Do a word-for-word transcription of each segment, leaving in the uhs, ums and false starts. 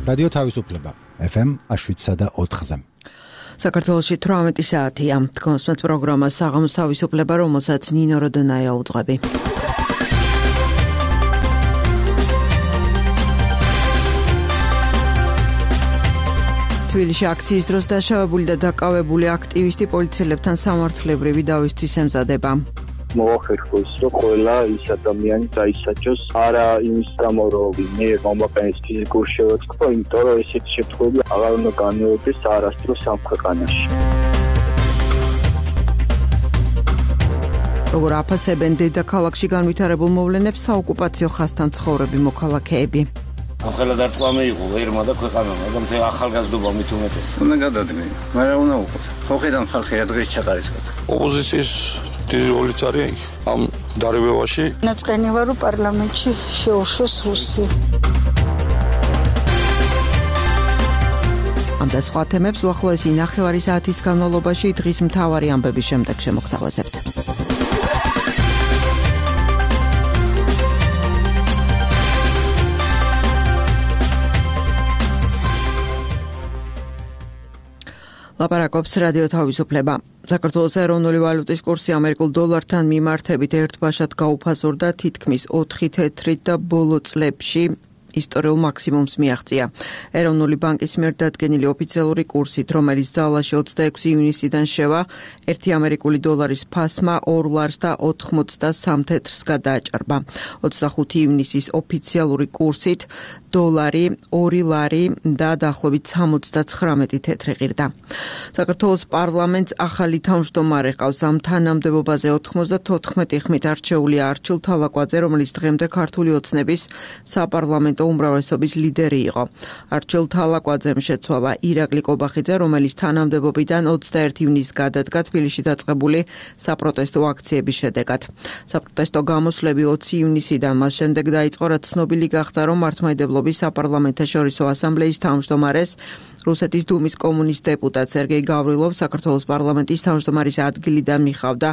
რადიო თავისუფლება ეფ ემ შვიდსა და ოთხზე. საქართველოში თვრამეტი საათია. თქვენს პროგრამა საღამოს თავისუფლება, რომელსაც ნინო როდონაია უძღვები. თბილისში აქციის დროს დაშავებული და დაკავებული აქტივისტი პოლიციელებთან სამართლებრივი დავისთვის ემზადება. მოახერხოს, რომ ყველა ის ადამიანი დაისაჯოს არა იმის გამო, რომ მე მომაყენეს ფიზიკურ შევაწყობა, იმიტომ რომ ესეთი შემთხვევები აღარ უნდა განმეორდეს არასდროს ამ ქვეყანაში. როგორ აფასებენ დედაქალაქში განვითარებულ მოვლენებს საოკუპაციო ხაზთან ცხოვრები მოქალაქეები. ახლა დარტყამი იყო ერმა და ქვეყანა, მაგრამ თე ახალგაზრდობა მით უმეტეს. უნდა გადადგენ, მაგრამ უნდა უყოთ. ხოხიდან ხალხი დღეს ჩაყარისკოთ. ოპოზიციის დიდი როლიც არის ამ დარებებაში. ნაწყენი ვარ პარლამენტში შეუშვეს რუსი. ამ და სხვა თემებს უახლოესი ნახევარი საათის განმავლობაში დღის მთავარი ამბების შემდეგ შემოგთავაზებთ. ლაპარაკობს რადიო თავისუფლება. საქართველოს ეროვნული ვალუტის კურსი ამერიკულ დოლართან მიმართებით ერთბაშად გაუფასურდა თითქმის ოთხი თეთრით და ბოლო წლებში ისტორიულ მაქსიმუმს მიაღწია. ეროვნული ბანკის მიერ დადგენილი ოფიციალური კურსით, რომელიც ძალაში ოცდაექვსი ივნისიდან შევა, ერთი ამერიკული დოლარის ფასმა ორ ლარს და ოთხმოცდასამ თეთრს გადააჭარბა. ოცდახუთი ივნისის ოფიციალური კურსით დოლარი ორი ლარი და დაახლოებით სამოცდაცხრამეტი თეთრი ღირდა. საქართველოს პარლამენტს ახალი თავმჯდომარე ყავს. ამ თანამდებობაზე ოთხმოცდათოთხმეტი ხმით არჩეულია არჩილ თალაკვაძე, რომელიც დღემდე ქართული ოცნების საპარლამენტო უმრავლესობის ლიდერი იყო. არჩილ თალაკვაძემ შეცვალა ირაკლი კობახიძე, რომელიც თანამდებობიდან ოცდაერთი ივნისს გადადგა თბილისში დაწყებული საპროტესტო აქციების შედეგად. საპროტესტო გამოსვლები ოცი ივნისიდან მას შემდეგ დაიწყო, რაც ცნობილი გახდა, რომ მართლმადიდებლობის საპარლამენტაშორისო ასამბლეის თავმჯდომარეს რუსეთის დუმის კომუნისტ დეპუტატ სერგეი გავრილოვ საქართველოს პარლამენტის თავმჯდომარის ადგილიდან მიხავდა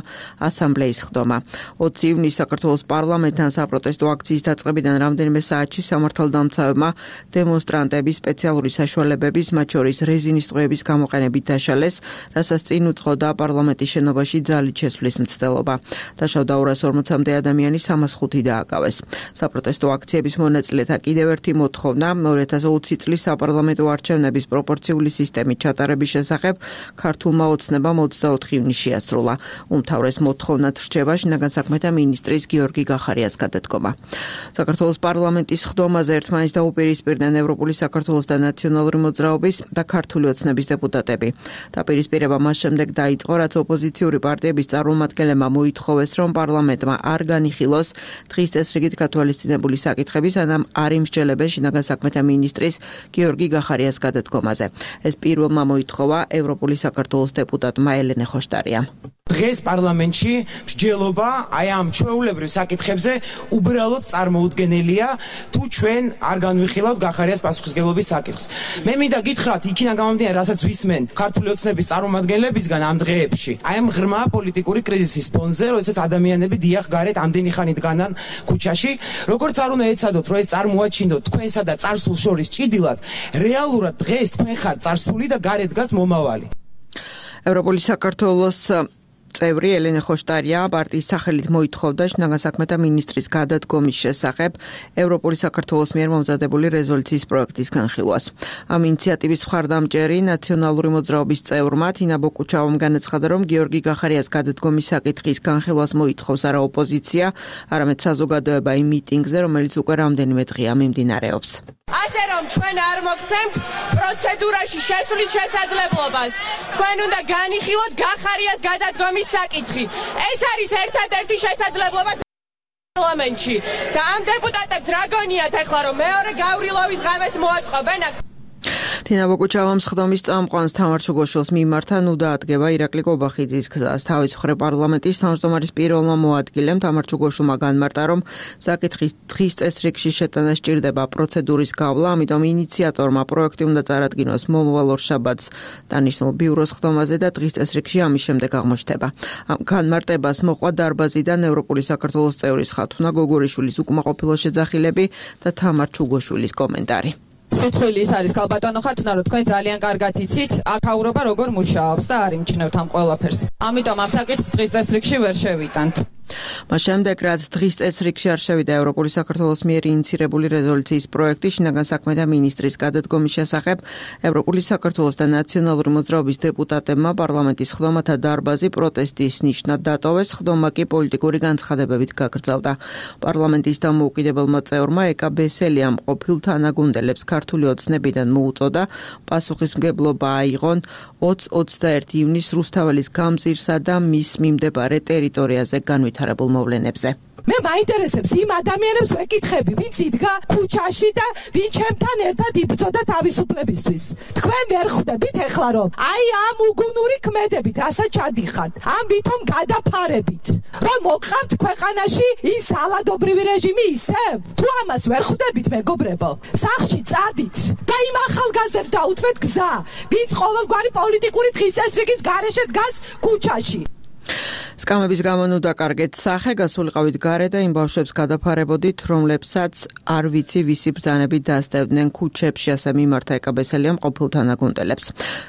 ასამბლეის ხდომა. ოცი ივნისს საქართველოს პარლამენტთან საპროტესტო აქციის დაწყებიდან რამდენიმე საათში სამართალდამცავებმა დემონსტრანტების სპეციალური საშუალებების, მათ შორის რეზინის ტყვეების გამოყენებით დაშალეს, რასაც წინ უძღოდა პარლამენტის შენობაში ძალით შესვლის მცდელობა. დაშავდა ორას ორმოცამდე ადამიანი, სამას ხუთი დააკავეს. საპროტესტო აქციების მონაწილეთა კიდევ ერთი მოთხოვნა ორი ათას ოცი წლის საპარლამენტო არჩევნების პროპორციული სისტემით ჩატარების შესახებ ქართულმა ოცნებამ ოცდაოთხი ივნისს შეასრულა. უმთავრეს მოთხოვნად რჩება შინაგან საქმეთა მინისტრის გიორგი გახარიას გადადგომა. საქართველოს პარლამენტის ხდომაზე ერთმანეთს დაუპირისპირდნენ ევროპული საქართველოს და ნაციონალური მოძრაობის და ქართული ოცნების დეპუტატები. დაპირისპირება მას შემდეგ დაიწყო, რაც ოპოზიციური პარტიების წარმომადგენლებმა მოითხოვეს, რომ პარლამენტმა არ განიხილოს დღის წესრიგით გათვალისწინებული საკითხები, სანამ არ იმსჯელებენ შინაგან საქმეთა მინისტრის გიორგი გახარიას გადადგომაზე. ეს პირველმა მოითხოვა ევროპული საქართველოს დეპუტატმა ელენე ხოშტარიამ. დღეს პარლამენტში მსჯელობა აი ამ ჩვეულებრივ საკითხებზე უბრალოდ წარმოუდგენელია, თუ ჩვენ არ განვიხილავთ გახარიას პასუხისმგებლობის საკითხს. მე მინდა გითხრათ, იქიდან გამომდინარე, რასაც ვისმენ ქართული ოცნების წარმომადგენლებისგან ამ დღეებში, აი ამ ღრმა პოლიტიკური კრიზისის ფონზე, როდესაც ადამიანები დიახ გარეთ ამდენი ხანი დგანან ქუჩაში, როგორც არ უნდა ეცადოთ, რომ ეს წარმოაჩინოთ თქვენსა და წარსულს შორის ჭიდილად, რეალურად დღეს თქვენ ხართ წარსული და გარეთ დგას მომავალი. ევროპული საქართველოს წევრი ელენე ხოშტარია პარტიის სახელით მოითხოვდა შინაგან საქმეთა მინისტრის გადადგომის შესახებ ევროპული საქართველოს მიერ მომზადებული რეზოლუციის პროექტის განხილვას. ამ ინიციატივის მხარდამჭერი ნაციონალური მოძრაობის წევრმა თინა ბოკუჩავამ განაცხადა, რომ გიორგი გახარიას გადადგომის საკითხის განხილვას მოითხოვს არა ოპოზიცია, არამედ საზოგადოება იმ მიტინგზე, რომელიც უკვე რამდენიმე დღეა მიმდინარეობს. ასე რომ ჩვენ არ მოგცემთ პროცედურაში შესვლის შესაძლებლობას. ჩვენ უნდა განიხილოთ გახარიას გადადგომის საკითხი. ეს არის ერთადერთი შესაძლებლობა პარლამენტში. და ამ დეპუტატებს რა გონიათ ახლა, რომ მეორე გავრილოვის ღამეს მოაწყობენ? თინა ბოკუჩავამ სხდომის წამყვანს თამარ ჩუგოშვილს მიმართა ნუ დაადგება ირაკლი კობახიძის გზას. თავის მხრივ პარლამენტის თავმჯდომარის პირველმა მოადგილემ თამარ ჩუგოშვილმა განმარტა, რომ საკითხის დღის წესრიგში შეტანა სჭირდება პროცედურის გავლა, ამიტომ ინიციატორმა პროექტი უნდა წარადგინოს მომავალ ორშაბათს დანიშნულ ბიუროს ხდომაზე და დღის წესრიგში ამის შემდეგ აღმოჩნდება. ამ განმარტებას მოყვა დარბაზიდან ევროპული საქართველოს წევრის ხათუნა გოგორიშვილის უკმაყოფილო შეძახილები და თამარ ჩუგოშვილის კომენტარი. სიტყვილი ის არის ქალბატონო ხათუნა, რომ თქვენ ძალიან კარგად იცით აქაურობა როგორ მუშაობს და არ იმჩნევთ ამ ყველაფერს. ამიტომ ამ საკითხს დღის წესრიგში ვერ შევიტანთ. მას შემდეგ, რაც დღის წესრიგში არ შევიდა ევროპული საქართველოს მიერ ინიცირებული რეზოლუციის პროექტი შინაგან საქმეთა მინისტრის გადადგომის შესახებ, ევროპული საქართველოს და ნაციონალური მოძრაობის დეპუტატებმა პარლამენტის ხდომათა დარბაზი პროტესტის ნიშნად დატოვეს, ხდომა კი პოლიტიკური განცხადებებით გაგრძელდა. პარლამენტის დამოუკიდებელმა წევრმა ეკა ბესელიამ ყოფილ თანაგუნდელებს ქართული ოცნებიდან მოუწოდა პასუხისმგებლობა აიღონ ოცი ოცდაერთი ივნის რუსთაველის გამზირსა და მის მიმდებარე ტერიტორიაზე განვითარებულ მოვლენებზე. მე მაინტერესებს იმ ადამიანებს ვეკითხები, ვინც იდგა ქუჩაში და ვინ ჩემთან ერთად იბრძოდა თავისუფლებისთვის. თქვენ ვერ ხვდებით ეხლა რომ აი ამ უგუნური ქმედებით, რასაც ჩადიხართ, ამ ვითომ გადაფარებით, რომ მოყავთ ქვეყანაში ის სალადობრივი რეჟიმი ისევ? თუ ამას ვერ ხვდებით, მეგობრებო, სახლში წადით და იმ ახალგაზრდებს დაუთმეთ გზა, ვინც ყოველგვარი პოლიტიკური დღის წესრიგის გარეშე დგას ქუჩაში. სკამების გამო ნუ დაკარგეთ სახე, გასულიყავით გარე და იმ ბავშვებს გადაფარებოდით, რომლებსაც არ ვიცი ვისი ბრძანებით დასდევდნენ ქუჩებში, ასე მიმართა ეკა ბესელიამ ყოფილ თანაგუნდელებს.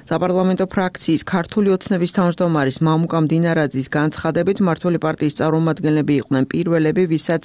საპარლამენტო ფრაქციის ქართული ოცნების თავმჯდომარის მამუკა მდინარაძის განცხადებით, მმართველი პარტიის წარმომადგენლები იყვნენ პირველები, ვისაც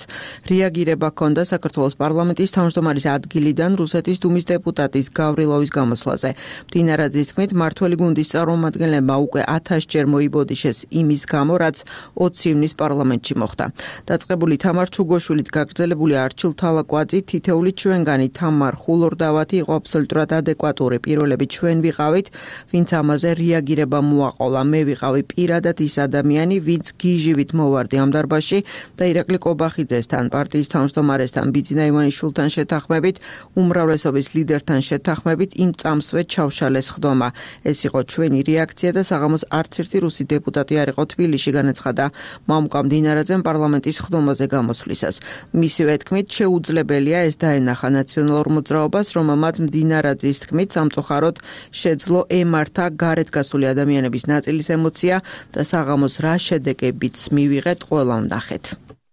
რეაგირება ჰქონდა საქართველოს პარლამენტის თავმჯდომარის ადგილიდან რუსეთის დუმის დეპუტატის გავრილოვის გამოსვლაზე. მდინარაძის თქმით, მმართველი გუნდის წარმომადგენლებმა უკვე ათასჯერ მოიბოდიშეს იმის გამო, რაც ოცი ივნის პარლამენტში მოხდა. დაწყებული თამარ ჩუგოშვილით გაგრძელებული არჩილ თალაკვაძი, თითეული ჩვენგანი თამარ ხულორდავათი იყო აბსოლუტურად ადეკვატური. პირველები ჩვენ ვიყავით, ვინც ამაზე რეაგირება მოაყოლა. მე ვიყავი პირადად ის ადამიანი, ვინც გიჟივით მოვარდი ამ დარბაზში და ირაკლი კობახიძესთან, პარტიის თავმჯდომარესთან, ბიძინა ივანიშვილთან შეთანხმებით, უმრავლესობის ლიდერთან შეთანხმებით იმ წამსვე ჩავშალეს ხდომა. ეს იყო ჩვენი რეაქცია და საღამოს არც ერთი რუსი დეპუტატი არ იყო თბილისში, განაცხადა მამუკა მდინარაძემ პარლამენტის ხდომაზე გამოსვლისას. მისივე თქმით, შეუძლებელია ეს დაენახა ნაციონალურ მოძრაობას, რომელმაც მდინარაძის თქმით სამწუხაროდ შეძლო ემართა გარეთ გასული ადამიანების ნაწილის ემოცია და საღამოს რა შედეგებიც მივიღეთ, ყველა ვნახეთ.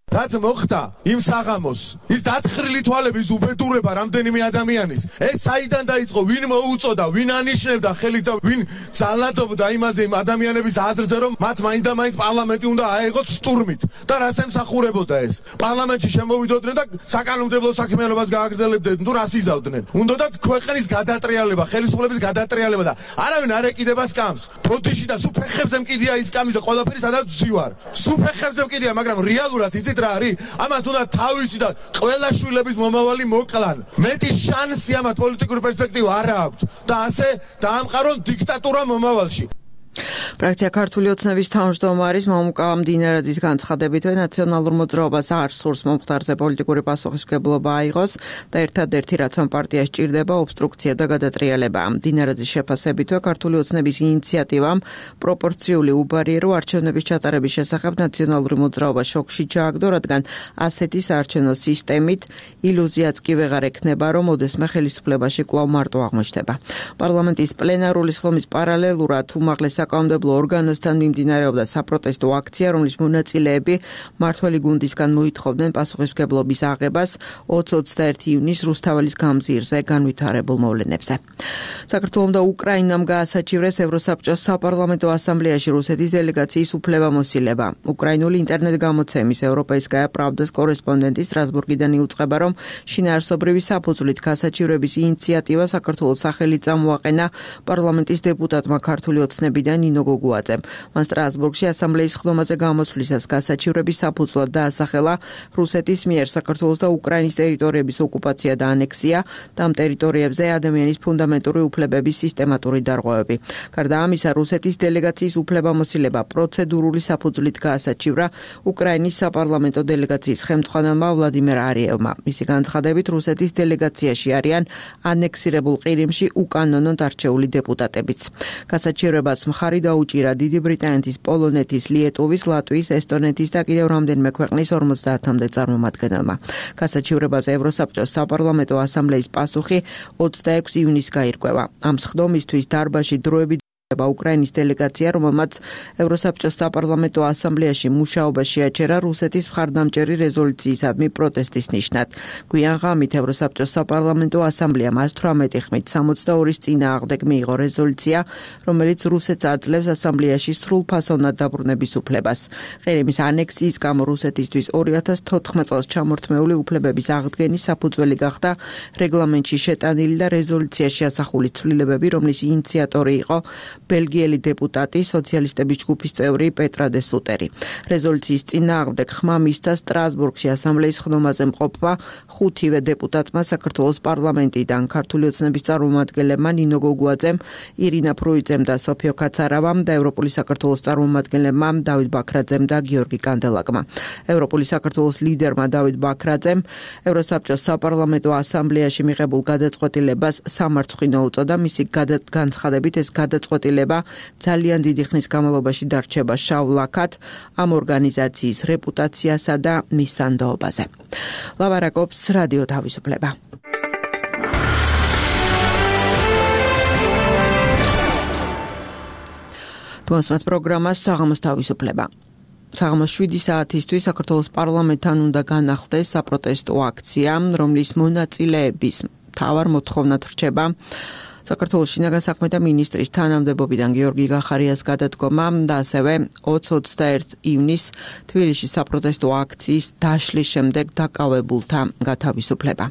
რაც მოხდა იმ საღამოს, ის დათხრილი თვალების უბედურება რამდენიმე ადამიანის, ეს საიდან დაიწყო, ვინ მოუწოდა, ვინ ანიშნებდა ხელით და ვინ ძალადობდა იმაზე იმ ადამიანების აზრზე, რომ მათ მაინდა მაინც პარლამენტი უნდა აეღოთ სტურმით და რას ემსახურებოდა ეს. პარლამენტში შემოვიდოდნენ და საკანონმდებლო საქმიანობას გააგრძელებდნენ, თუ რას იზავდნენ. უნდათ ქვეყნის გადატრიალება, ხელისუფლების გადატრიალება და არავინ არ ეკიდება სკამს. ბოდიში და სუფეხებზე მკიდია ის სკამის და ყველაფერი სადაც ვზივარ. სუფეხებზე მკიდია, მაგრამ რეალურად იცით რა არის? ამათ უნდა თავისი და ყველა შვილების მომავალი მოკლან. მეტი შანსი ამათ პოლიტიკური პერსპექტივა არ აქვს და ასე დაამყარონ დიქტატურა მომავალში. ფრაქცია ქართული ოცნების თავმჯდომარის მამუკა მდინარაძის განცხადებით, ნაციონალურ მოძრაობას არ სურს მომხდარზე პოლიტიკური პასუხისმგებლობა აიღოს და ერთადერთი რაც ამ პარტიას ჭირდება ობსტრუქცია და გადატრიალება. მდინარაძის შეფასებით, ქართული ოცნების ინიციატივამ პროპორციული უბარიერო არჩევნების ჩატარების შესახებ ნაციონალური მოძრაობა შოკში ჩააგდო, რადგან ასეთი საარჩევნო სისტემით ილუზიაც კი ვეღარ ექნება, რომ ოდესმე ხელისუფლებაში კვლავ მარტო აღმოჩნდება. პარლამენტის პლენარული სხდომის პარალელურად უმაღლეს საკანონმდებლო ორგანოსთან მიმდინარეობდა საპროტესტო აქცია, რომლის მონაწილეები მმართველი გუნდისგან მოითხოვდნენ პასუხისმგებლობის აღებას ოცი ოცდაერთი ივნის რუსთაველის გამზირზე განვითარებულ მოვლენებზე. საქართველოს და უკრაინამ გაასაჩივრეს ევროსაბჭოს საპარლამენტო ასამბლეაში რუსეთის დელეგაციის უფლებამოსილება. უკრაინული ინტერნეტ გამოცემის ევროპაისკაია პრავდას კორესპონდენტი სტრასბურგიდან იუწყება, რომ შინაარსობრივი საფუძვლით გასაჩივრების ინიციატივა საქართველოს სახელით წამოაყენა პარლამენტის დეპუტატმა ქართული ოცნებიდან ნინო გოგუაძემ. მან სტრასბურგში ასამბლეის ხდომაზე გამოსვლისას გასაჩივრების საფუძვლად დაასახელა რუსეთის მიერ საქართველოს და უკრაინის ტერიტორიების ოკუპაცია და ანექსია და ამ ტერიტორიებზე ადამიანის ფუნდამენტური უფლებების სისტემატური დარღვევები. გარდა ამისა, რუსეთის დელეგაციის უფლებამოსილება პროცედურული საფუძვლით გაასაჩივრა უკრაინის საპარლამენტო დელეგაციის ხელმძღვანელმა ვლადიმერ არიევმა. მისი განცხადებით, რუსეთის დელეგაციაში არიან ანექსირებულ ყირიმში უკანონოდ არჩეული დეპუტატებიც. გასაჩივრებას მხარი დაუჭირა დიდი ბრიტანეთის, პოლონეთის, ლიეტუვის, ლატვიის, ესტონეთის და კიდევ რამდენიმე ქვეყნის ორმოცდაათამდე წარმომადგენელმა. გასაჩივრებაზე ევროსაბჭოს საპარლამენტო ასამბლეის პასუხი ოცდაექვსი ივნის გაირკვევა. ამ სხდომისთვის დარბაზში დროებით უკრაინის დელეგაცია, რომელმაც ევროსაბჭოს საპარლამენტო ასამბლეაში მუშაობა შეაჩერა რუსეთის მხარდამჭერი რეზოლუციისადმი პროტესტის ნიშნად. გვიან ღამით ევროსაბჭოს საპარლამენტო ასამბლეამ ათვრამეტი ხმით სამოცდაორის წინააღმდეგ მიიღო რეზოლუცია, რომელიც რუსეთს აძლევს ასამბლეაში სრულფასოვნად დაბრუნების უფლებას. ყირიმის ანექსიის გამო რუსეთისთვის ორი ათას თოთხმეტ წელს ჩამორთმეული უფლებების აღდგენის საფუძველი გახდა რეგლამენტში შეტანილი და რეზოლუციაში ასახული ცვლილებები, რომლის ინიციატორი იყო ბელგიელი დეპუტატი, სოციალისტების ჯგუფის წევრი პეტრა დე სუტერი. რეზოლუციის წინააღმდეგ ხმა მისცა სტრასბურგში ასამბლეის ხდომაზე მყოფმა ხუთივე დეპუტატმა საქართველოს პარლამენტიდან, ქართული ოცნების წარმომადგენლებმა ნინო გოგუაძემ, ირინა ფრუიძემ და სოფიო კაცარავამ და ევროპული საქართველოს წარმომადგენლებმა დავით ბაქრაძემ და გიორგი კანდელაკმა. ევროპული საქართველოს ლიდერმა დავით ბაქრაძემ ევროსაბჭოს საპარლამენტო ასამბლეაში მიღებულ გადაწყვეტილებას სამარცხვინო უწოდა. მისი განცხადებით ეს გადაწყვეტილება ძალიან დიდი ხნის განმავლობაში დარჩება შავ ლაქად ამ ორგანიზაციის რეპუტაციასა და მის სანდოობაზე. ლაბარაკობს რადიო თავისუფლება. თვალსაჩინო პროგრამას საღამოს თავისუფლება. საღამოს შვიდი საათისთვის საქართველოს პარლამენტთან უნდა განახლდეს საპროტესტო აქცია, რომლის მონაწილეების მთავარ მოთხოვნად რჩება საქართველოს შინაგან საქმეთა მინისტრის თანამდებობიდან გიორგი გახარიას გადადგომა და ასევე ოცი ოცდაერთი ივნისს თბილისში საპროტესტო აქციის დაშლის შემდეგ დაკავებულთა გათავისუფლება.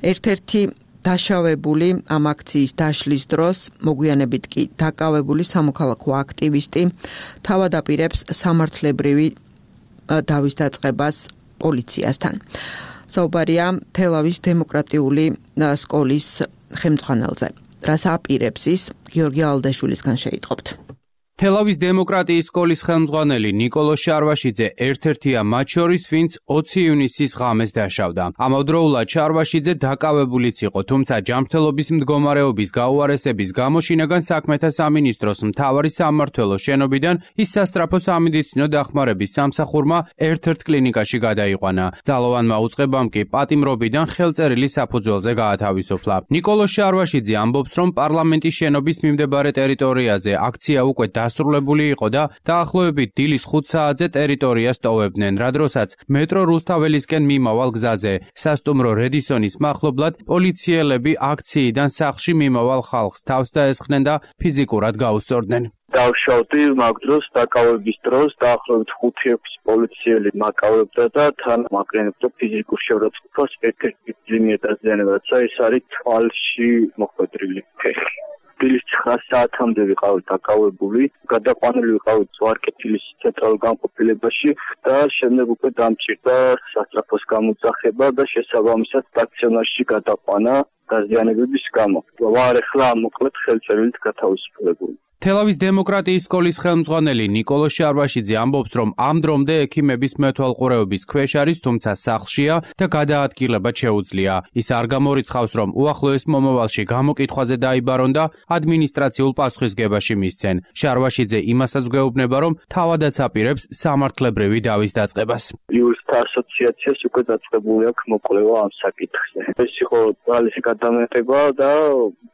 ერთ-ერთი დაშავებული ამ აქციის დაშლის დროს, მოგვიანებით კი დაკავებული სამოქალაქო აქტივისტი თავად აპირებს სამართლებრივი დავის დაწყებას პოლიციასთან. საუბარია თელავის დემოკრატიული სკოლის ხელმძღვანელზე. რას აპირებს ის, გიორგი ალდაშვილისგან შეიტყობთ. თელავის დემოკრატიის სკოლის ხელმძღვანელი ნიკოლო შარვაშიძე ერთ-ერთია მათ შორის, ვინც ოცი ივნისის ღამეს დაშავდა. ამავდროულად შარვაშიძე დაკავებულიც იყო, თუმცა ჯანმრთელობის მდგომარეობის გაუარესების გამო შინაგან საქმეთა სამინისტროს მთავარი სამმართველოს შენობიდან ის სასწრაფო სამედიცინო დახმარების სამსახურმა ერთ-ერთ კლინიკაში გადაიყვანა. ძალოვანმა უწყებამ კი პატიმრობიდან ხელწერილი საფუძველზე გაათავისუფლა. ნიკოლო შარვაშიძე ამბობს, რომ პარლამენტის შენობის მიმდებარე ტერიტორიაზე აქცია უკვე დასრულებული იყო და დაახლოებით დილის ხუთ საათზე ტერიტორიას ტოვებდნენ, რა დროსაც მეტრო რუსთაველისკენ მიმავალ გზაზე სასტუმრო რედისონის მახლობლად პოლიციელები აქციიდან სახლში მიმავალ ხალხს თავს დაესხნენ და ფიზიკურად გაუსწორდნენ. დავშავდი მაგ დროს დაკავების დროს დაახლოებით ხუთი ექვსი პოლიციელი მაკავებდა და თან მაკრენებდა ფიზიკურ შეურაცხყოფას ერთ-ერთი ძლიერი დაზიანებაც ეს არის თვალში მოხვედრილი ფეხი. დილის ცხრა საათამდე ვიყავით დაკავებული, გადაყვანილი ვიყავით ზვარკეთილის ცენტრალურ განყოფილებაში და შემდეგ უკვე დამჭირდა სასწრაფოს გამოძახება და შესაბამისად სტაციონარში გადაყვანა დაზიანებების გამო. ვარ ახლა მოკლედ ხელწერილით გათავისუფლებული. თელავის დემოკრატიის სკოლის ხელმძღვანელი ნიკოლო შარვაშიძე ამბობს, რომ ამ დრომდე ექიმების მეთვალყურეობის ქვეშ არის, თუმცა სახლშია და გადაადგილება შეუძლია. ის არ გამორიცხავს, რომ უახლოეს მომავალში გამოკითხვაზე დაიბარონ და ადმინისტრაციულ პასუხისგებაში მისცენ. შარვაშიძე იმასაც გვეუბნება, რომ თავადაც აპირებს სამართლებრივი დავის დაწყებას. იურისტთა ასოციაციას უკვე დაწყებული აქვს მოკვლევა ამ საკითხზე. ეს იყო ძალისი გადამეტება და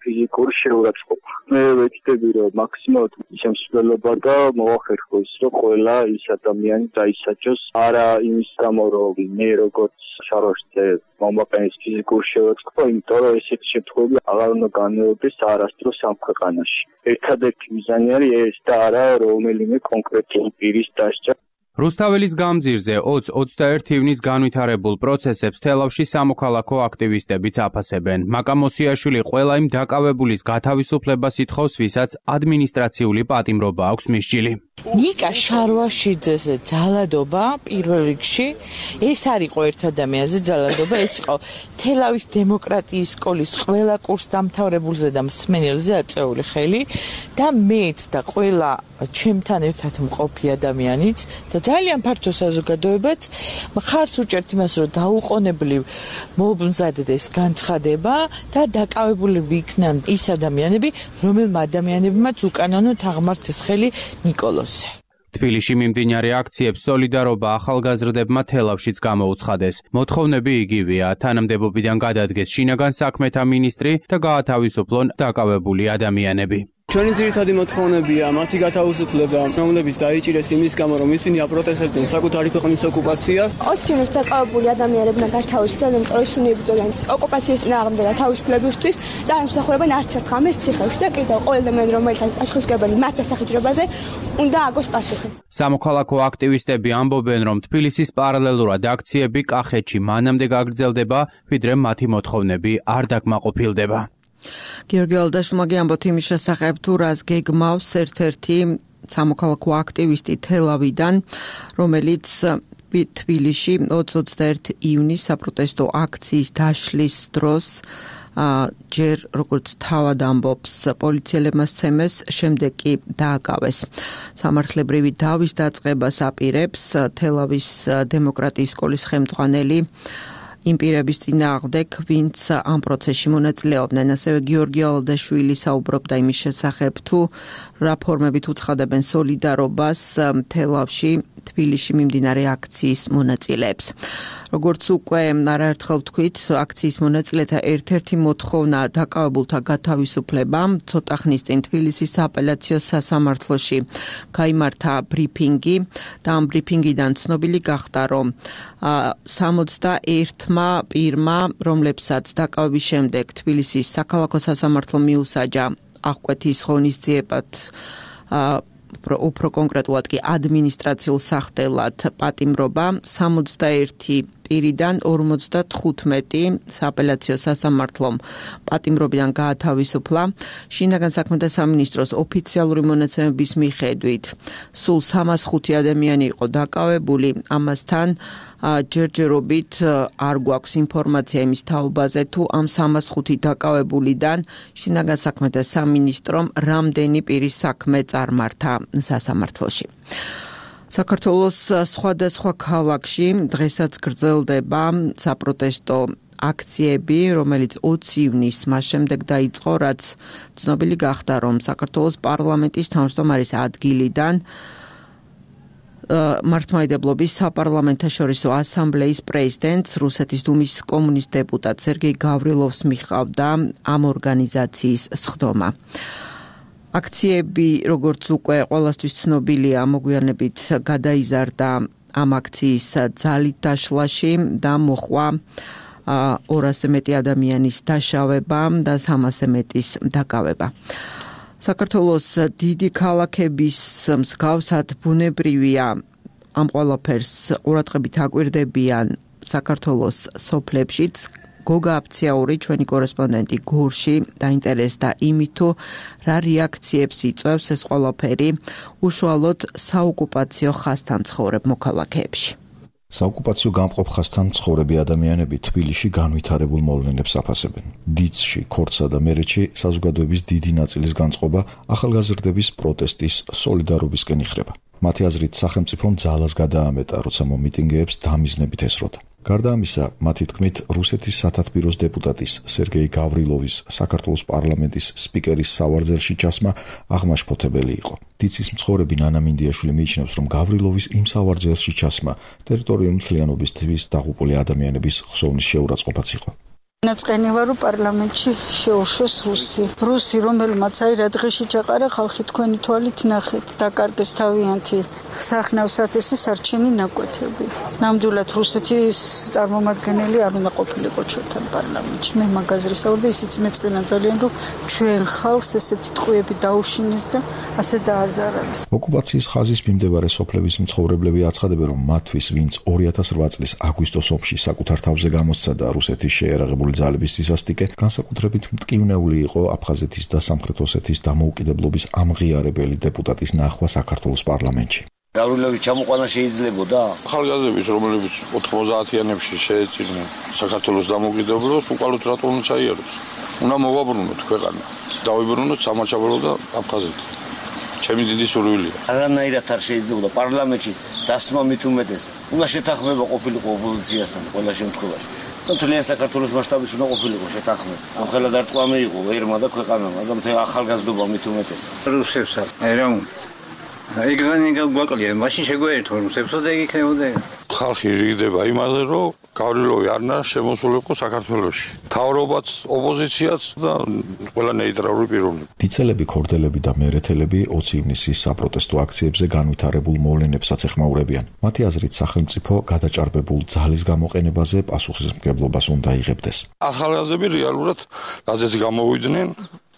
ფიზიკური შეურაცხყოფა. მე ვეცდები, რომ მაქსიმალურად შემსვლელობა და მოახერხო ის, რომ ყველა ის ადამიანი დაისაჯოს არა იმის გამო, რომ მე როგორც შარვაშიძე მომაყენეს ფიზიკურ შეურაცხყოფა, იმიტომ რომ ესეთი შემთხვევები აღარ უნდა განმეორდეს არასდროს ამ ქვეყანაში. ერთადერთი მიზანი არის ეს და არა რომელიმე კონკრეტული პირის დასჯა. რუსთაველის გამზირზე ოცი ოცდაერთი ივნისს განვითარებულ პროცესებს თელავში სამოქალაქო აქტივისტებიც აფასებენ. მაკა მოსიაშვილი ყველა იმ დაკავებულის გათავისუფლებას ითხოვს, ვისაც ადმინისტრაციული პატიმრობა აქვს მისჯილი. ნიკა შარვაშიძეს ძალადობა პირველ რიგში ეს არ იყო ერთ ადამიანზე ძალადობა, ეს იყო თელავის დემოკრატიის სკოლის ყველა კურს დამთავრებულზე და მსმენელზე აწეული ხელი და მეც და ყველა ჩემთან ერთად მყოფი ადამიანიც და ძალიან ფართო საზოგადოებაც მხარს უჭერთ იმას, რომ დაუყოვნებლივ მომზადდეს განცხადება და დაკავებულები იქნან ის ადამიანები, რომელმა ადამიანებმაც უკანონოდ აღმართეს ხელი ნიკოლოსზე. თბილისში მიმდინარე აქციებს სოლიდარობა ახალგაზრდებმა თელავშიც გამოუცხადეს. მოთხოვნები იგივეა, თანამდებობიდან გადადგეს შინაგან საქმეთა მინისტრი და გაათავისუფლონ დაკავებული ადამიანები. ჩვენი ძირითადი მოთხოვნებია მათი გათავისუფლება, რომლებიც დაიჭირეს იმის გამო, რომ ისინი აპროტესტებდნენ საკუთარი ქვეყნის ოკუპაციას. ოცი ივნისს დაკავებული ადამიანებმა გათავისუფლდა, იმიტომ რომ ისინი იბრძოდნენ ოკუპაციის წინააღმდეგ თავისუფლებისთვის და ემსახურებენ არც ერთ ღამეს ციხეში და კიდევ ყველა ადამიანი, რომელიც არის პასუხისმგებელი მათ დასახიჭრებაზე, უნდა აგოს პასუხი. სამოქალაქო აქტივისტები ამბობენ, რომ თბილისის პარალელურად აქციები კახეთში მანამდე გაგრძელდება, ვიდრე მათი მოთხოვნები არ დაკმაყოფილდება. გიორგი ალდაშუმაგი ამბობთ იმის შესახებ, თუ რას გეგმავს ერთ-ერთი სამოქალაქო აქტივისტი თელავიდან, რომელიც თბილისში ოცი ოცდაერთი ივნის საპროტესტო აქციის დაშლის დროს ჯერ როგორც თავად ამბობს პოლიციელებმა სცემეს, შემდეგ კი დააკავეს. სამართლებრივი დავის დაწყებას აპირებს თელავის დემოკრატიის სკოლის ხელმძღვანელი იმ პირების წინააღმდეგ, ვინც ამ პროცესში მონაწილეობდნენ. ასევე გიორგი ალდაშვილი საუბრობდა იმის შესახებ, თუ რა ფორმებით უცხადებენ სოლიდარობას თელავში თბილისში მიმდინარე აქციის მონაწილეებს. როგორც უკვე არაერთხელ ვთქვით, აქციის მონაწილეთა ერთ-ერთი მოთხოვნა დაკავებულთა გათავისუფლება. ცოტა ხნის წინ თბილისის სააპელაციო სასამართლოში გაიმართა ბრიფინგი და ამ ბრიფინგიდან ცნობილი გახდა, რომ სამოცდაერთმა პირმა, რომლებსაც დაკავების შემდეგ თბილისის საქალაქო სასამართლო მიუსაჯა აღკვეთის ღონისძიებად უფრო კონკრეტულად კი ადმინისტრაციულ სახდელად პატიმრობა, სამოცდაერთი პირიდან ორმოცდათხუთმეტი სააპელაციო სასამართლომ პატიმრობიდან გაათავისუფლა. შინაგან საქმეთა სამინისტროს ოფიციალური მონაცემების მიხედვით სულ სამას ხუთი ადამიანი იყო დაკავებული, ამასთან ჯერჯერობით არ გვაქვს ინფორმაცია იმის თაობაზე, თუ ამ სამას ხუთი დაკავებულიდან შინაგან საქმეთა სამინისტრომ რამდენი პირის საქმე წარმართა სასამართლოში. საქართველოს სხვადასხვა ქალაქში დღესაც გრძელდება საპროტესტო აქციები, რომელიც ოცი ივნისს მას შემდეგ დაიწყო, რაც ცნობილი გახდა, რომ საქართველოს პარლამენტის თავმჯდომარის ადგილიდან მართლმადიდებლობის საპარლამენტაშორისო ასამბლეის პრეზიდენტს, რუსეთის დუმის კომუნისტ დეპუტატ სერგეი გავრილოვს მიჰყავდა ამ ორგანიზაციის სხდომა. აქციები, როგორც უკვე ყველასთვის ცნობილია, მოგვიანებით გადაიზარდა ამ აქციის ძალით დაშლაში და მოხვა ორასზე მეტი ადამიანის დაშავება და სამასზე მეტის დაკავება. საქართველოს დიდი ქალაქების მსგავსად ბუნებრივია ამ ყველაფერს ყურადღებით აკვირდებიან საქართველოს სოფლებშიც. გოგა აფციაური, ჩვენი კორესპონდენტი გორში დაინტერესდა იმით, თუ რა რეაქციებს იწვევს ეს ყველაფერი უშუალოდ საოკუპაციო ხაზთან ცხოვრებ მოქალაქეებში. საოკუპაციო გამყოფ ხაზთან მცხოვრები ადამიანები თბილისში განვითარებულ მოვლენებს აფასებენ. დიცში, ქორცსა და მერეთში საზოგადოების დიდი ნაწილის განწყობა ახალგაზრდების პროტესტის სოლიდარობისკენ იხრება. მათი აზრით, სახელმწიფომ ძალას გადაამეტა, როცა მომიტინგეებს დამიზნებით ესროდა. გარდა ამისა, მათი თქმით, რუსეთის სათათბიროს დეპუტატის სერგეი გავრილოვის საქართველოს პარლამენტის სპიკერის სავარძელში ჩასმა აღმაშფოთებელი იყო. დიცის მცხოვრები ნანა მინდიაშვილი მიიჩნევს, რომ გავრილოვის იმ სავარძელში ჩასმა ტერიტორიული მთლიანობისთვის დაღუპული ადამიანების ხსოვნის შეურაცხყოფაც იყო. ნაწყენივა რომ პარლამენტში შეუშვეს რუსი. რუსი, რომელმაც აი რა დღეში ჩაყარა ხალხი თქვენი თვალით ნახეთ, დაკარგეს თავიანთი სახნავსათესი სარჩენი ნაკვეთები. ნამდვილად რუსეთის წარმომადგენელი არ უნდა ყოფილიყო ჩვენთან პარლამენტში. მე მაგაზრისა ვარ და ისიც მეწყინა ძალიან, რომ ჩვენ ხალხს ესეთი ტყუები დაუშინეს და ასე დააზარალეს. ოკუპაციის ხაზის მიმდებარე სოფლების მცხოვრებლები აცხადებენ, რომ მათთვის, ვინც ორი ათას რვა წლის აგვისტოს ომში საკუთარ თავზე გამოსცა და რუსეთის შეერაღებული ძალების სისასტიკე, განსაკუთრებით მტკივნეული იყო აფხაზეთის და სამხრეთ ოსეთის დამოუკიდებლობის ამღიარებელი დეპუტატის ნახვა საქართველოს პარლამენტში. გავრილოვის ჩამოყვანა შეიძლებოდა ახალგაზრდების, რომლებიც ოთხმოცდაათიანებში შეეწირნენ საქართველოს დამოუკიდებლობას, უკალოდ რატომ ჩაიაროს? უნდა მოვაბრუნოთ ქვეყანა, დავიბრუნოთ სამაჩაბლო და აფხაზეთი. ჩემი დიდი სურვილია. არანაირად არ შეიძლებოდა პარლამენტში დასმა მით უმეტეს. უნდა შეთანხმება ყოფილიყო ოპოზიციასთან ყველა შემთხვევაში. მთლიან საქართველოს მასშტაბით უნდა ყოფილიყო შეთანხმება. ამ ხელად არტყამი იყო ერმა და ქვეყანამ, მაგრამ მთელ ახალგაზრდობა მით უმეტეს. რუსებსა ერაუნ ეგრანე გაგვაკლია, მაშინ შეგვაერთო რუსებსა და ეგ იქნებოდა. ხალხი რიგდება იმაზე, რომ გავრილოვი არ უნდა შემოსულიყო საქართველოში. მთავრობაც, ოპოზიციაც და ყველა ნეიტრალური პიროვნება. დიცელები, ქორდელები და მერეთელები ოცი ივნისის საპროტესტო აქციებზე განვითარებულ მოვლენებსაც ეხმაურებიან. მათი აზრით, სახელმწიფო გადაჭარბებულ ძალის გამოყენებაზე პასუხისმგებლობას უნდა იღებდეს. ახალგაზრდები რეალურად რაზეც გამოვიდნენ,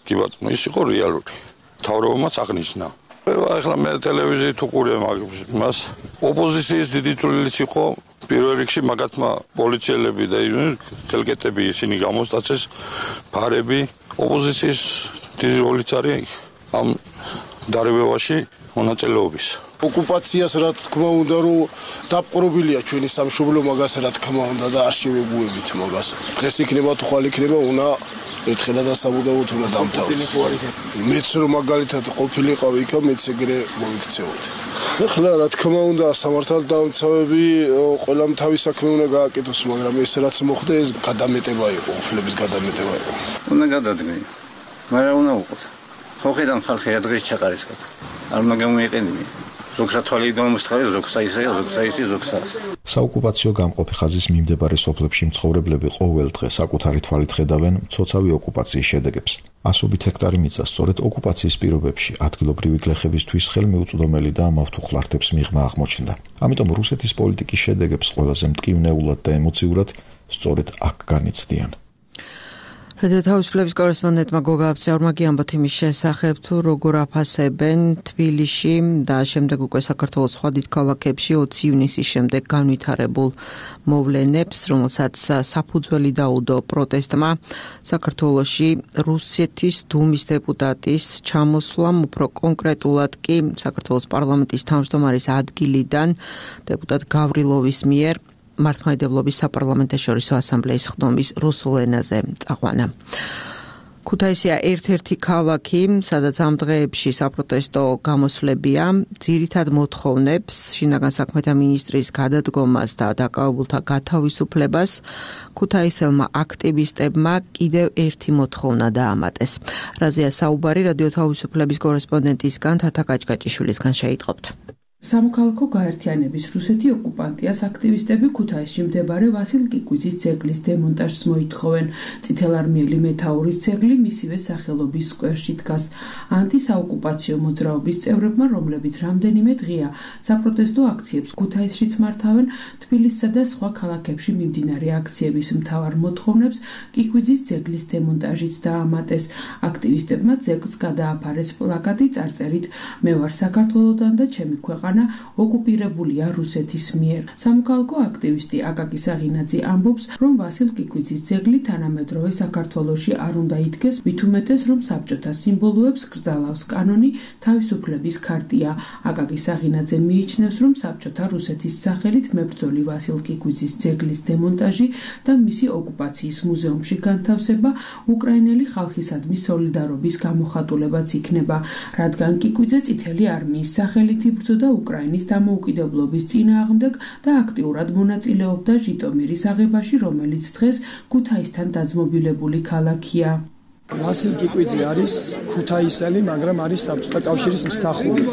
კი ბატონო, ის იყო რეალური. მთავრობამაც აღნიშნა. ახლა მე ტელევიზიით უყურე მას. ოპოზიციის დიდი წვლილიც იყო პირველ რიგში მაგათმა პოლიციელები და ხელკეტები ისინი გამოსტაცეს ფარები. ოპოზიციის დიდი როლიც არის ამ დარბევაში მონაწილეობის. ოკუპაციას რა თქმა უნდა რომ დაპყრობილია ჩვენი სამშობლო მაგას რა თქმა უნდა და არ შევეგუებით მაგას. დღეს იქნება თუ ხვალ იქნება უნდა ერთხელა დასაბუთებოთ უნდა დამთავრდეს. მეც რომ მაგალითად ყოფილიყავ იქ მეც ეგრე მოიქცეოთ. ეხლა რა თქმა უნდა სამართალდამცავები ყველამ თავის საქმე უნდა გააკეთოს, მაგრამ ეს რაც მოხდა ეს გადამეტება იყო, უფლების გადამეტება იყო. უნდა გადადგენ. მაგრამ უნდა უყოთ. ხო ხედავ ხალხი რა დღეს ჩაყარისკოთ. არ უნდა გამოიყენებინი. ზოგსა თვალი დამოსთხარი, ზოგსა ისეა, ზოგსა ისე, ზოგსა. საოკუპაციო გამყოფი ხაზის მიმდებარე სოფლებში მცხოვრებლები ყოველ დღე საკუთარი თვალით ხედავენ მცოცავი ოკუპაციის შედეგებს. ასობით ჰექტარი მიწა სწორედ ოკუპაციის პირობებში ადგილობრივი გლეხებისთვის ხელმიუწვდომელი და მავთუხლართებს მიღმა აღმოჩნდა. ამიტომ რუსეთის პოლიტიკის შედეგებს ყველაზე მტკივნეულად და ემოციურად სწორედ აქ განიცდიან. რადიო თავისუფლების კორესპონდენტმა გოგა აბზიაურმა გიამბოთ იმის შესახებ, თუ როგორ აფასებენ თბილისში და შემდეგ უკვე საქართველოს სხვა დიდ ქალაქებში ოცი ივნისის შემდეგ განვითარებულ მოვლენებს, რომელსაც საფუძველი დაუდო პროტესტმა საქართველოში რუსეთის დუმის დეპუტატის ჩამოსვლამ, უფრო კონკრეტულად კი საქართველოს პარლამენტის თავმჯდომარის ადგილიდან დეპუტატ გავრილოვის მიერ მართლმადიდებლობის საპარლამენტაშორისო ასამბლეის ხდომის რუსულ ენაზე წაყვანა. ქუთაისია ერთ-ერთი ქალაქი, სადაც ამ დღეებში საპროტესტო გამოსვლებია, ძირითად მოთხოვნებს შინაგან საქმეთა მინისტრის გადადგომას და დაკავებულთა გათავისუფლებას. ქუთაისელმა აქტივისტებმა კიდევ ერთი მოთხოვნა დაამატეს. რაზეა საუბარი რადიო თავისუფლების კორესპონდენტისგან თათა კაჭკაჭიშვილისგან შეიტყობთ. სამოქალაქო გაერთიანების რუსეთი ოკუპანტიას აქტივისტები ქუთაისში მდებარე ვასილ კიკვიძის ძეგლის დემონტაჟს მოითხოვენ. წითელარმიელი მეთაურის ძეგლი მისივე სახელობის სკვერში დგას. ანტისაოკუპაციო მოძრაობის წევრებმა, რომლებიც რამდენიმე დღეა საპროტესტო აქციებს ქუთაისშიც მართავენ, თბილისსა და სხვა ქალაქებში მიმდინარე აქციების მთავარ მოთხოვნებს კიკვიძის ძეგლის დემონტაჟიც დაამატეს. აქტივისტებმა ძეგლს გადააფარეს პლაკატი წარწერით „მე ვარ საქართველოდან და ჩემი ქვეყანა ოკუპირებულია რუსეთის მიერ. სამოქალაქო აქტივისტი აკაკი საღინაძე ამბობს, რომ ვასილ კიკვიძის ძეგლი თანამედროვე საქართველოში არ უნდა იდგეს, მით უმეტეს, რომ საბჭოთა სიმბოლოებს კრძალავს კანონი თავისუფლების ქარტია. აკაკი საღინაძე მიიჩნევს, რომ საბჭოთა რუსეთის სახელით მებრძოლი ვასილ კიკვიძის ძეგლის დემონტაჟი და მისი ოკუპაციის მუზეუმში განთავსება უკრაინელი ხალხისადმი სოლიდარობის გამოხატულებაც იქნება, რადგან კიკვიძე წითელი არმიის სახელით იბრძოდა უკრაინის დამოუკიდებლობის წინააღმდეგ და აქტიურად მონაწილეობდა ჟიტომირის აღებაში, რომელიც დღეს ქუთაისთან დაძმობილებული ქალაქია. ვასილ კიკვიძე არის ქუთაისელი, მაგრამ არის საბჭოთა კავშირის მსახური.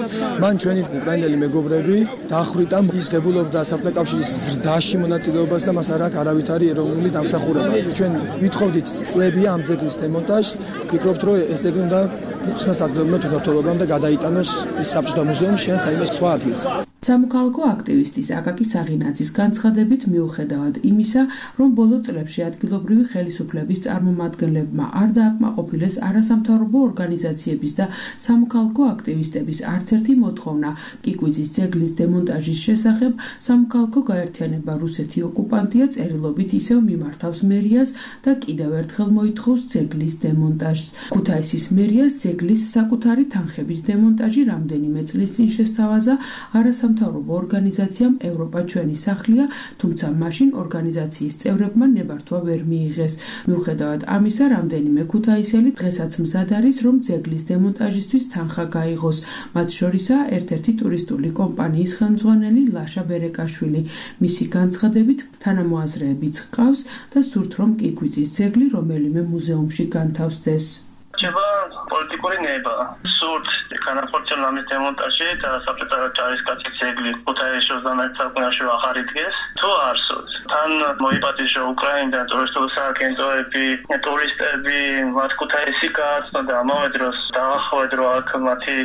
მან ჩვენი უკრაინელი მეგობრები დაახრიტა ის ღებულობდა საბჭოთა კავშირის ზრდაში მონაწილეობას და მას არ აქვს არავითარი ეროვნული დამსახურება. ჩვენ ვითხოვდით წლებია ამ ძეგლის დემონტაჟს, ვფიქრობთ, რომ ეს ძეგლი უნდა ხსნას ადგილობრივ თვითმმართველობამ და გადაიტანოს ის საბჭოთა მუზეუმში ან საერთოდ სხვა ადგილს. სამოქალაქო აქტივისტის აკაკი საღინაძის განცხადებით, მიუხედავად იმისა, რომ ბოლო წლებში ადგილობრივი ხელისუფლების წარმომადგენლებმა არ დააკმაყოფილეს არასამთავრობო ორგანიზაციების და სამოქალაქო აქტივისტების არც ერთი მოთხოვნა კიკვიძის ძეგლის დემონტაჟის შესახებ, სამოქალაქო გაერთიანება რუსეთი ოკუპანტია წერილობით ისევ მიმართავს მერიას და კიდევ ერთხელ მოითხოვს ძეგლის დემონტაჟს. ქუთაისის მერიას ძეგლის საკუთარი თანხების დემონტაჟი რამდენიმე წლის წინ შესთავაზა არასამთავრობო ორგანიზაციამ ევროპა ჩვენი სახლია, თუმცა მაშინ ორგანიზაციის წევრებმა ნებართვა ვერ მიიღეს. მიუხედავად ამისა, რამდენიმე ქუთაისელი დღესაც მზად არის, რომ ძეგლის დემონტაჟისთვის თანხა გაიღოს. მათ შორისაა ერთ-ერთი ტურისტული კომპანიის ხელმძღვანელი ლაშა ბერეკაშვილი. მისი განცხადებით, თანამოაზრეებიც ჰყავს და სურთ, რომ კიკვიძის ძეგლი რომელიმე მუზეუმში განთავსდეს. ჩება პოლიტიკური ნება. სურთ განახორციელონ ამის დემონტაჟი და საბჭოთა ჯარისკაცის ძეგლი ქუთაისში ოცდამეტ საუკუნეში აღარ იდგეს. თუ არ სურთ, თან მოიპატიჟო უკრაინიდან ტურისტული სააგენტოები, ტურისტები, მათ ქუთაისი გააცნო და ამავე დროს დაახვედრო აქ მათი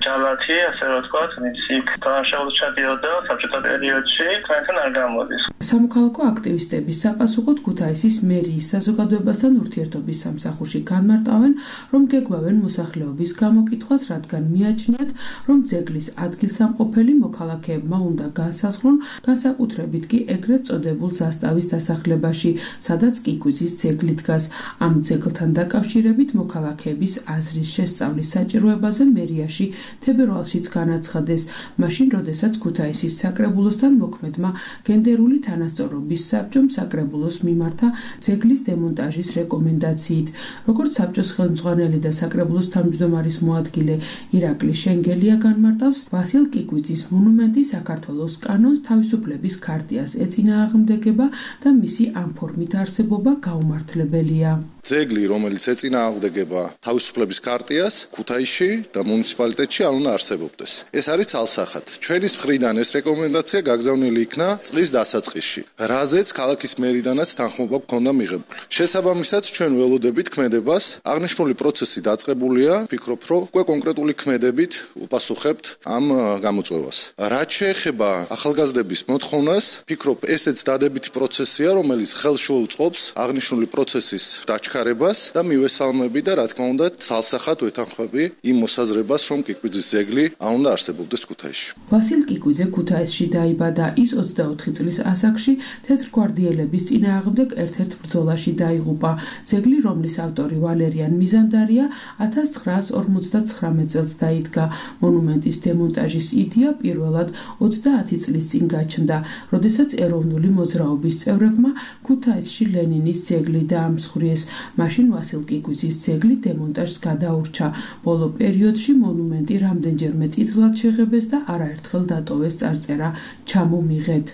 ჯალათი, ასე რომ ვთქვათ, ვინც იქ დააშაულს ჩადიოდა საბჭოთა პერიოდში, თქვენთან არ გამოდის. სამოქალაქო აქტივისტების საპასუხოდ ქუთაისის მერიის საზოგადოებასთან ურთიერთობის სამსახურში განმარტავენ, რომ გეგმავენ მოსახლეობის გამოკითხვას, რადგან მიაჩნიათ, რომ ძეგლის ადგილსამყოფელი მოქალაქეებმა უნდა განსაზღვრონ, განსაკუთრებით კი ეგრეთ წოდებულ ზასტავის დასახლებაში, სადაც კიკვიზის ძეგლი დგას. ამ ძეგლთან დაკავშირებით მოქალაქეების აზრის შესწავლის საჭიროებაზე მერიაში თებერვალშიც განაცხადეს, მაშინ, როდესაც ქუთაისის საკრებულოსთან მოქმედმა გენდერული თანასწორობის საბჭომ საკრებულოს მიმართა ძეგლის დემონტაჟის რეკომენდაციით. როგორც საბჭოს ხელმძღვანელი და საკრებულოს თავმჯდომარის მოადგილე ირაკლი შენგელია განმარტავს, ვასილ კიკვიძის მონუმენტი საქართველოს კანონს თავისუფლების ქარტიას ეწინააღმდეგება და მისი ამ ფორმით არსებობა გაუმართლებელია. ძეგლი, რომელიც ეწინააღმდეგება თავისუფლების ქარტიას, ქუთაისში და მუნიციპალიტეტში არ უნდა არსებობდეს. ეს არის ცალსახად. ჩვენის მხრიდან ეს რეკომენდაცია გაგზავნილი იქნა წლის დასაწყისში, რაზეც ქალაქის მერიდანაც თანხმობა გქონდა მიღებული. შესაბამისად, ჩვენ ველოდებით ქმედებას, აღნიშნული პროცესი დაწყებულია, ვფიქრობ, რომ უკვე კონკრეტული ქმედებით უპასუხებთ ამ გამოწვევას. რაც შეეხება ახალგაზრდების მოთხოვნას, ვფიქრობ, ესეც დადებითი პროცესია, რომელიც ხელს შეუწყობს აღნიშნული პროცესის დაჩქარებას და მივესალმები და რა თქმა უნდა, ცალსახად ვეთანხმები იმ მოსაზრებას, რომ კიკვიძის ძეგლი არ უნდა არსებობდეს ქუთაისში. ვასილ კიკვიძე ქუთაისში დაიბადა. ის ოცდაოთხი წლის ასაკში თეთრგვარდიელების წინააღმდეგ ერთ-ერთ ბრძოლაში დაიღუპა. ძეგლი, რომლის ავტორი ვალერიან მიზანდარია, ათას ცხრაას ორმოცდაცხრამეტ წელს დაიდგა. მონუმენტის დემონტაჟის იდეა პირველად ოცდაათი წლის წინ გაჩნდა, როდესაც ეროვნული მოძრაობის წევრებმა ქუთაისში ლენინის ძეგლი დაამსხვრიეს. მაშინ ვასილ კიკვიძის ძეგლი დემონტაჟს გადაურჩა. ბოლო პერიოდში მონუმენტი რამდენჯერმე წითლად შეღებეს და არაერთხელ დატოვეს წარწერა „ჩამომიღეთ“.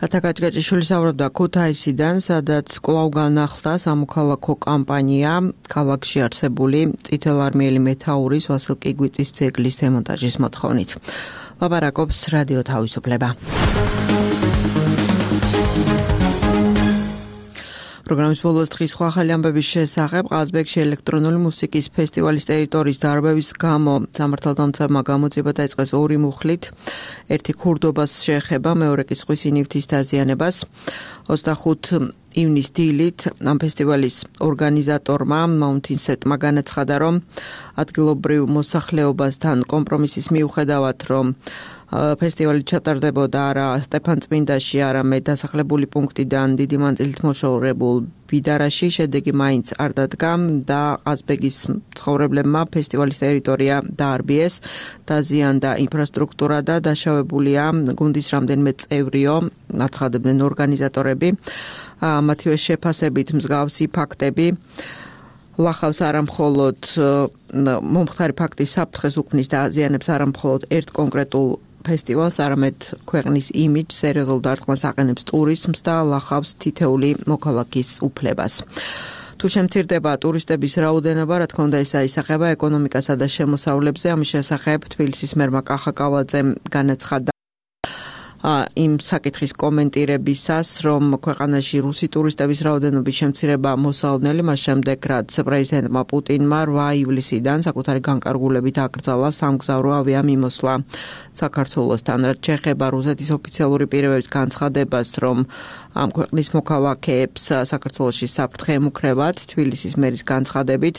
თათა გაჭგაჭიშვილი საუბრობდა ქუთაისიდან, სადაც კვლავ განახლდა სამოქალაქო კამპანია ქალაქში არსებული წითელარმიელი მეთაურის ვასილ კიკვიძის ძეგლის დემონტაჟის მოთხოვნით. ლაპარაკობს რადიო თავისუფლება. პროგრამის ბოლოს დღის სხვა ახალი ამბების შესახებ ყაზბეგში ელექტრონული მუსიკის ფესტივალის ტერიტორიის დარბევის გამო სამართალდამცავმა გამოძიება დაიწყეს ორი მუხლით, ერთი ქურდობას შეეხება, მეორე კი ზღვის ინივთის დაზიანებას. ოცდახუთი ივნის დილით ამ ფესტივალის ორგანიზატორმა მაუნთინსეტმა განაცხადა, რომ ადგილობრივ მოსახლეობასთან კომპრომისის მიუხედავად, რომ ფესტივალი ჩატარდებოდა არა სტეფანწმინდაში, არამედ დასახლებული პუნქტიდან დიდი მანძილით მოშორებულ ბიდარაში, შედეგი მაინც არ დადგა და ყაზბეგის მცხოვრებლებმა ფესტივალის ტერიტორია დაარბიეს, დაზიანდა ინფრასტრუქტურა და დაშავებულია გუნდის რამდენიმე წევრიო, აცხადებდნენ ორგანიზატორები. მათივე შეფასებით მსგავსი ფაქტები ლახავს არამხოლოდ მომხდარი ფაქტის საფრთხეს უქმნის და აზიანებს არამხოლოდ ერთ კონკრეტულ ფესტივალს, არამედ ქვეყნის იმიჯს, სერიოზულ დარტყმას აყენებს ტურიზმს და ლახავს თითეული მოქალაქის უფლებას. თუ შემცირდება ტურისტების რაოდენობა, რა თქმა უნდა, ეს აისახება ეკონომიკასა და შემოსავლებზე. ამის შესახებ თბილისის მერმა კახა კალაძემ განაცხადა იმ საკითხის კომენტირებისას, რომ ქვეყანაში რუსი ტურისტების რაოდენობის შემცირება მოსალოდნელი, მას შემდეგ, რაც პრეზიდენტმა პუტინმა რვა ივლისიდან საკუთარი განკარგულებით აკრძალა სამგზავრო ავიამიმოსვლა საქართველოსთან. რაც შეეხება რუსეთის ოფიციალური პირებების განცხადებას, რომ ამ ქვეყნის მოქალაქეებს საქართველოში საფრთხე ემუქრებათ, თბილისის მერის განცხადებით,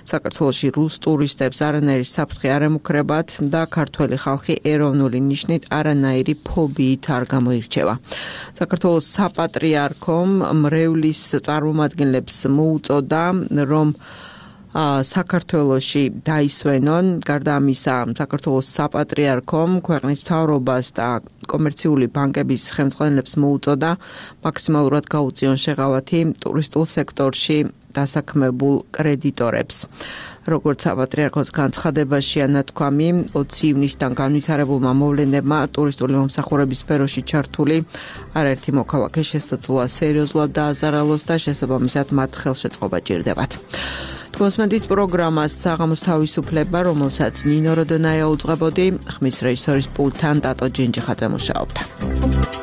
საქართველოში რუს ტურისტებს არანაირი საფრთხე არ ემუქრებათ და ქართველი ხალხი ეროვნული ნიშნით არანაირი ფობიით არ გამოირჩევა. საქართველოს საპატრიარქომ მრევლის წარმომადგენლებს მოუწოდა, რომ საქართველოში დაისვენონ. გარდა ამისა, საქართველოს საპატრიარქომ ქვეყნის მთავრობას და კომერციული ბანკების ხელმძღვანელებს მოუწოდა მაქსიმალურად გაუწიონ შეღავათი ტურისტულ სექტორში დასაქმებულ კრედიტორებს. როგორც საპატრიარქოს განცხადებაშია ნათქვამი, ოცი ივნისიდან განვითარებულმა მოვლენებმა ტურისტული მომსახურების სფეროში ჩართული არაერთი მოქალაქე შესაძლოა სერიოზულად დააზარალოს და შესაბამისად მათ ხელშეწყობა ჭირდებათ. თქვენსმენთ პროგრამას საღამოს თავისუფლება, რომელსაც ნინო როდონაია უძღვებოდი, ხმის რეჟისორის პულტთან ტატო ჯინჯიხაძე მუშაობდა.